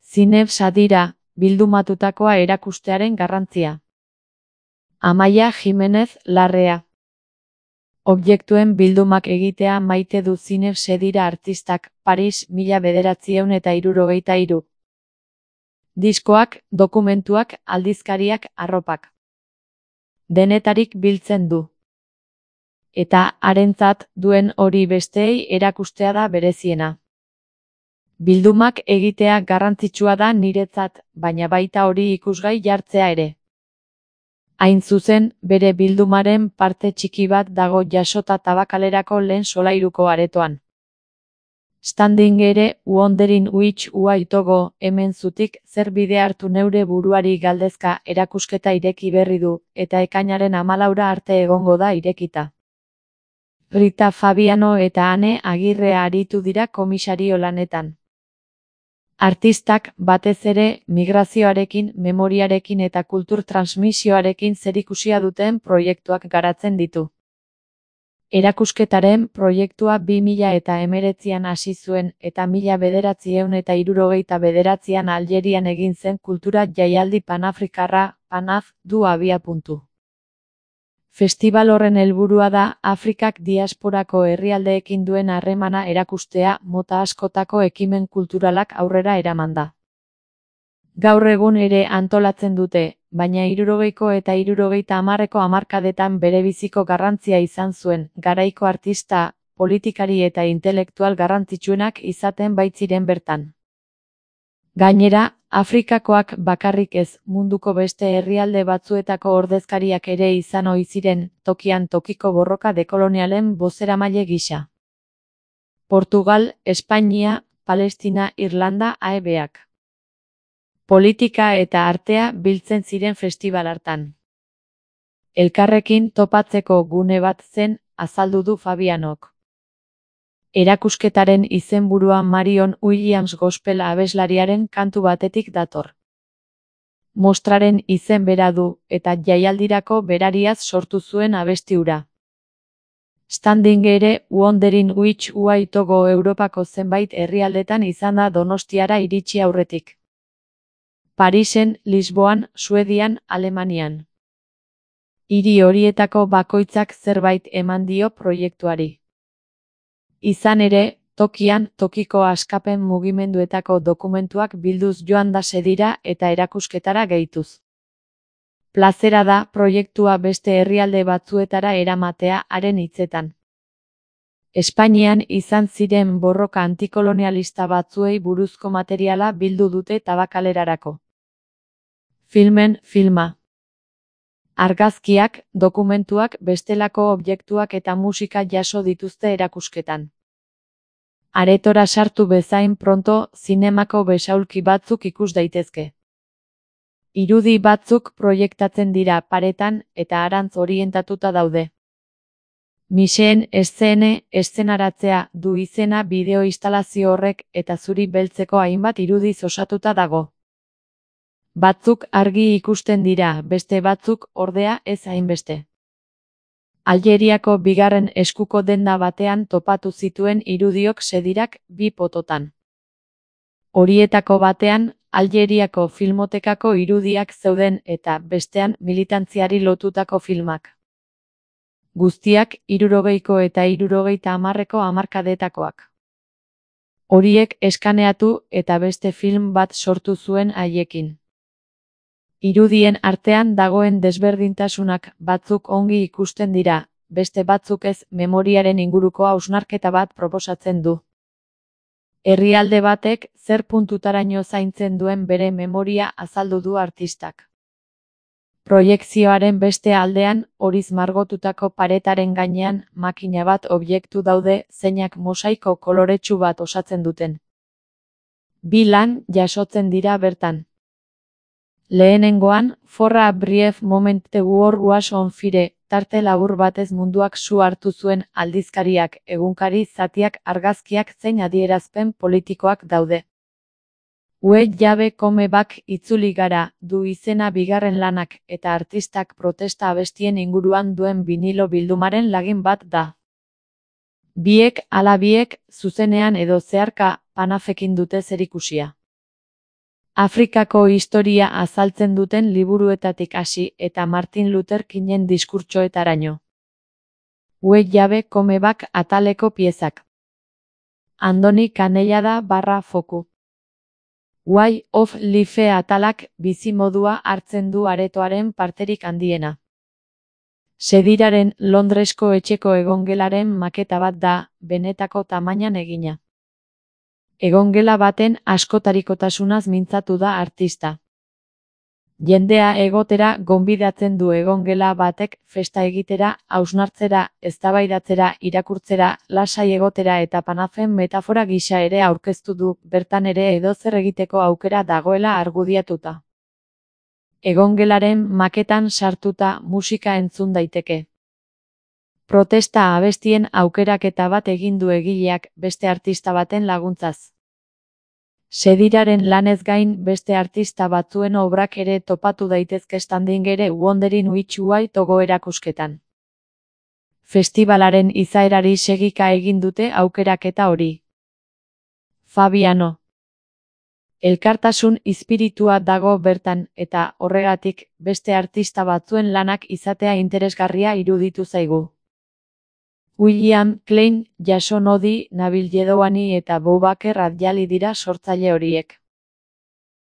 Zineb Sadira, bildumatutakoa erakustearen garrantzia. Amaia Jimenez Larrea. Objektuen bildumak egitea maite du Zineb Sadira artistak, Paris 1973. Diskoak, dokumentuak, aldizkariak, arropak. Denetarik biltzen du. Eta harentzat duen hori besteei erakustea da bereziena. Bildumak egitea garrantzitsua da niretzat, baina baita hori ikusgai jartzea ere. Hain zuzen, bere bildumaren parte txiki bat dago jasota Tabakalerako lehen solairuko aretoan. Standing ere, wondering which way to go, hemen zutik zer bide hartu neure buruari galdezka erakusketa ireki berri du, eta ekainaren 14 arte egongo da irekita. Rita Fabiano eta Ane Agirre aritu dira komisario lanetan. Artistak, batez ere, migrazioarekin, memoriarekin eta kultur transmisioarekin zerikusia duten proiektuak garatzen ditu. Erakusketaren proiektua 2019an hasi zuen eta 1979an Aljerian egin zen kultura jaialdi panafrikarra, PANAF, du abiapuntu. Festibal horren helburua da Afrikak diasporako herrialdeekin duen harremana erakustea mota askotako ekimen kulturalak aurrera eramanda. Gaur egun ere antolatzen dute, baina 70ko eta 70ko hamarkadetan berebiziko garrantzia izan zuen, garaiko artista, politikari eta intelektual garrantzitsuenak izaten baitziren bertan. Gainera, Afrikakoak bakarrik ez, munduko beste herrialde batzuetako ordezkariak ere izan ohi ziren, tokian tokiko borroka dekolonialen bozeramaile gisa. Portugal, Espainia, Palestina, Irlanda, AEBak. Politika eta artea biltzen ziren festibal hartan. Elkarrekin topatzeko gune bat zen, azaldu du Fabianok. Erakusketaren izenburua Marion Williams gospel abeslariaren kantu batetik dator. Mostraren izen bera du, eta jaialdirako berariaz sortu zuen abesti hura. Standing ere, wondering which way to go Europako zenbait herrialdetan izan da Donostiara iritsi aurretik. Parisen, Lisboan, Suedian, Alemanian. Hiri horietako bakoitzak zerbait eman dio proiektuari. Izan ere, tokian, tokiko askapen mugimenduetako dokumentuak bilduz joan da Sadira eta erakusketara gehituz. Plazera da proiektua beste herrialde batzuetara eramatea haren hitzetan. Espainian izan ziren borroka antikolonialista batzuei buruzko materiala bildu dute Tabakalerarako. Filmen filma. Argazkiak, dokumentuak, bestelako objektuak eta musika jaso dituzte erakusketan. Aretora sartu bezain pronto, zinemako besaulki batzuk ikus daitezke. Irudi batzuk proiektatzen dira paretan eta harantz orientatuta daude. Miseen eszenaratzea du izena bideo instalazio horrek eta zuri beltzeko hainbat irudiz osatuta dago. Batzuk argi ikusten dira, beste batzuk, ordea, ez hainbeste. Aljeriako bigarren eskuko denda batean topatu zituen irudiok Sadirak 2 pototan. Horietako batean, Aljeriako filmotekako irudiak zeuden eta bestean militantziari lotutako filmak. Guztiak 70ko eta 70ko hamarkadetakoak. Horiek eskaneatu eta beste film bat sortu zuen haiekin. Irudien artean dagoen desberdintasunak batzuk ongi ikusten dira, beste batzuk ez, memoriaren inguruko hausnarketa bat proposatzen du. Herrialde batek zer puntutaraino zaintzen duen bere memoria azaldu du artistak. Proiekzioaren beste aldean, horiz margotutako paretaren gainean, makina bat objektu daude zeinak mosaiko koloretsu bat osatzen duten. 2 lan jasotzen dira bertan. Lehenengoan, For a brief moment the war was on fire, tarte labur batez munduak su hartu zuen aldizkariak, egunkari zatiak, argazkiak zein adierazpen politikoak daude. We jabe come back itzuli gara, du izena bigarren lanak, eta artistak protesta abestien inguruan duen vinilo bildumaren lagin bat da. Biek ala biek, zuzenean edo zeharka, PANAFekin dute zerikusia. Afrikako historia azaltzen duten liburuetatik hasi eta Martin Luther Kingen diskurtsoetaraino. Ue jabe komebak ataleko piezak. Andoni Canellada /foku. Way of Life atalak bizimodua hartzen du aretoaren parterik handiena. Sediraren Londresko etxeko egongelaren maketa bat da, benetako tamainan egina. Egongela baten askotarikotasunaz mintzatu da artista. Jendea egotera gonbidatzen du egongela batek festa egitera, hausnartzera, eztabaidatzera, irakurtzera, lasai egotera eta panafen metafora gisa ere aurkeztu du, bertan ere edozer egiteko aukera dagoela argudiatuta. Egongelaren maketan sartuta musika entzun daiteke. Protesta abestien aukeraketa bat egin du egileak beste artista baten laguntzaz. Sediraren lanez gain beste artista batzuen obrak ere topatu daitezke Standing Wondering Which Way to Go erakusketan. Festibalaren izaerari segika egin dute aukeraketa hori. Fabiano. Elkartasun izpiritua dago bertan eta horregatik beste artista batzuen lanak izatea interesgarria iruditu zaigu. William Klein, Jason Odi, Nabil Jedouani eta Boubaker Adjali dira sortzaile horiek.